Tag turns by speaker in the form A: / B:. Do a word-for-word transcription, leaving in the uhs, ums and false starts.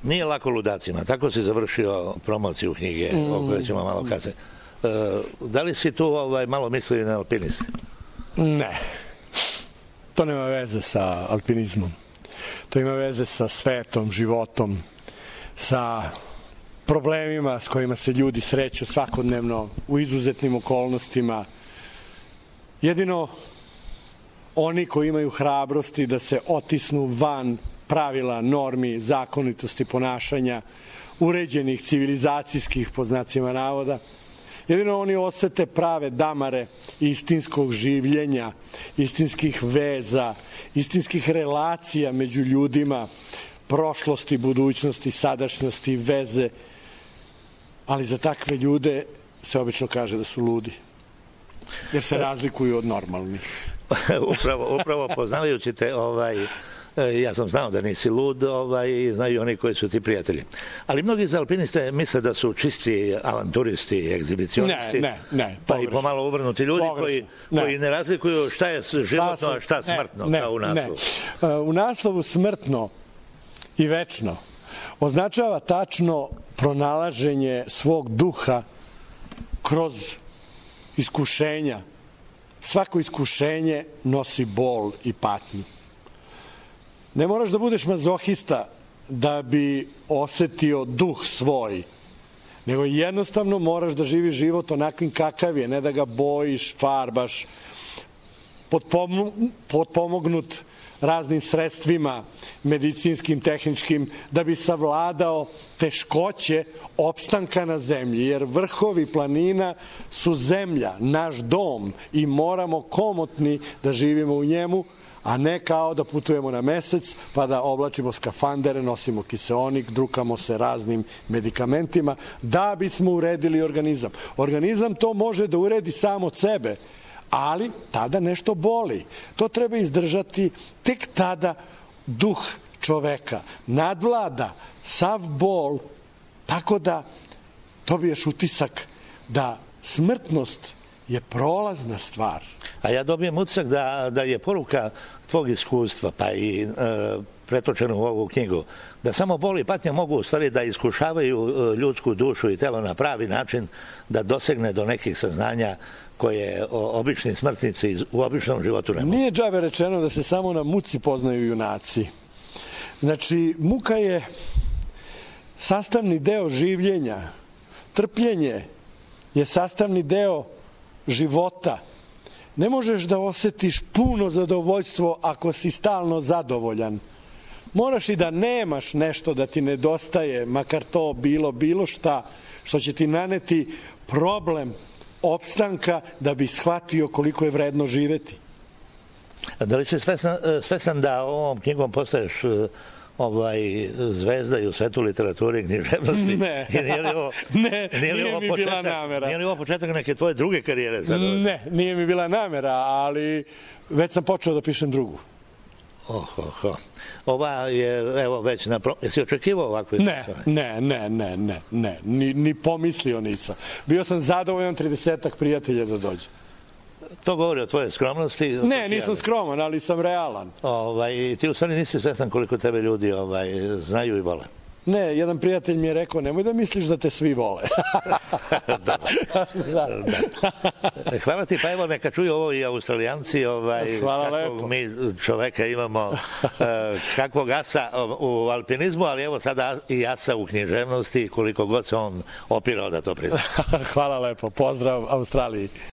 A: Nije lako ludacima. Tako si završio promociju knjige, mm. o kojoj ćemo malo kasnije. E, da li si tu ovaj, malo mislio na alpiniste?
B: Ne. To nema veze sa alpinizmom. To ima veze sa svetom, životom, sa problemima s kojima se ljudi sreću svakodnevno u izuzetnim okolnostima. Jedino oni koji imaju hrabrosti da se otisnu van pravila, normi, zakonitosti ponašanja, uređenih civilizacijskih, po znacima navoda, jedino oni osete prave damare istinskog življenja, istinskih veza, istinskih relacija među ljudima, prošlosti, budućnosti, sadašnjosti, veze. Ali za takve ljude se obično kaže da su ludi, jer se razlikuju od normalnih.
A: upravo, upravo poznavajući te, ovaj, ja sam znao da nisi lud, ovaj, i znaju oni koji su ti prijatelji. Ali mnogi za alpiniste misle da su čisti avanturisti, egzibicionisti,
B: ne, ne, ne,
A: pa i pomalo uvrnuti ljudi koji ne. koji ne razlikuju šta je životno, a šta smrtno, ne, kao u naslovu.
B: Ne. U naslovu smrtno i večno označava tačno pronalaženje svog duha kroz iskušenja. Svako iskušenje nosi bol i patnju. Ne moraš da budeš mazohista da bi osetio duh svoj, nego jednostavno moraš da živiš život onakvim kakav je, ne da ga bojiš, farbaš, potpomognut raznim sredstvima, medicinskim, tehničkim, da bi savladao teškoće opstanka na zemlji, jer vrhovi planina su zemlja, naš dom, i moramo komotni da živimo u njemu, a ne kao da putujemo na mesec, pa da oblačimo skafandere, nosimo kiseonik, drukamo se raznim medikamentima, da bismo uredili organizam. Organizam to može da uredi sam od sebe, ali tada nešto boli. To treba izdržati, tek tada duh čoveka nadvlada sav bol, tako da dobiješ utisak da smrtnost je prolazna stvar.
A: A ja dobijem utisak da, da je poruka tvog iskustva, pa i e, pretočeno u ovu knjigu, da samo bol i patnja mogu u stvari da iskušavaju ljudsku dušu i telo na pravi način, da dosegne do nekih saznanja koje obični smrtnici u običnom životu ne mogu.
B: Nije džabe rečeno da se samo na muci poznaju junaci. Znači, muka je sastavni deo življenja. Trpljenje je sastavni deo života. Ne možeš da osetiš puno zadovoljstvo ako si stalno zadovoljan. Moraš i da nemaš nešto da ti nedostaje, makar to bilo bilo šta, što će ti naneti problem opstanka da bi shvatio koliko je vredno živeti.
A: Da li si svestan, svestan da ovom knjigom postaješ ovaj, zvezda i u svetu literature i književnosti?
B: Ne,
A: nije li ovo,
B: ne,
A: nije, li
B: nije
A: ovo
B: mi
A: početak,
B: bila namera.
A: Nije li ovo početak neke tvoje druge karijere? Sad?
B: Ne, nije mi bila namera, ali već sam počeo da pišem drugu.
A: Oh, oh, oh. Ova je, evo, već na... Pro... Jesi očekivao ovakve?
B: Ne, ne, ne, ne, ne, ne, ni, ni pomislio nisam. Bio sam zadovoljan tridesetak prijatelja da dođe.
A: To govori o tvojoj skromnosti?
B: Ne, nisam skroman, ali sam realan.
A: Ovaj, ti u stvari nisi svestan koliko tebe ljudi ovaj, znaju i vole.
B: Ne, jedan prijatelj mi je rekao, nemoj da misliš da te svi vole.
A: da. Da. Hvala ti, pa evo neka čuju ovo i Australijanci, ovaj,
B: Hvala
A: kakvog
B: lepo.
A: mi čoveka imamo, kakvog asa u alpinizmu, ali evo sada i asa u književnosti, koliko god se on opirao da to prizna.
B: Hvala lepo, pozdrav Australiji.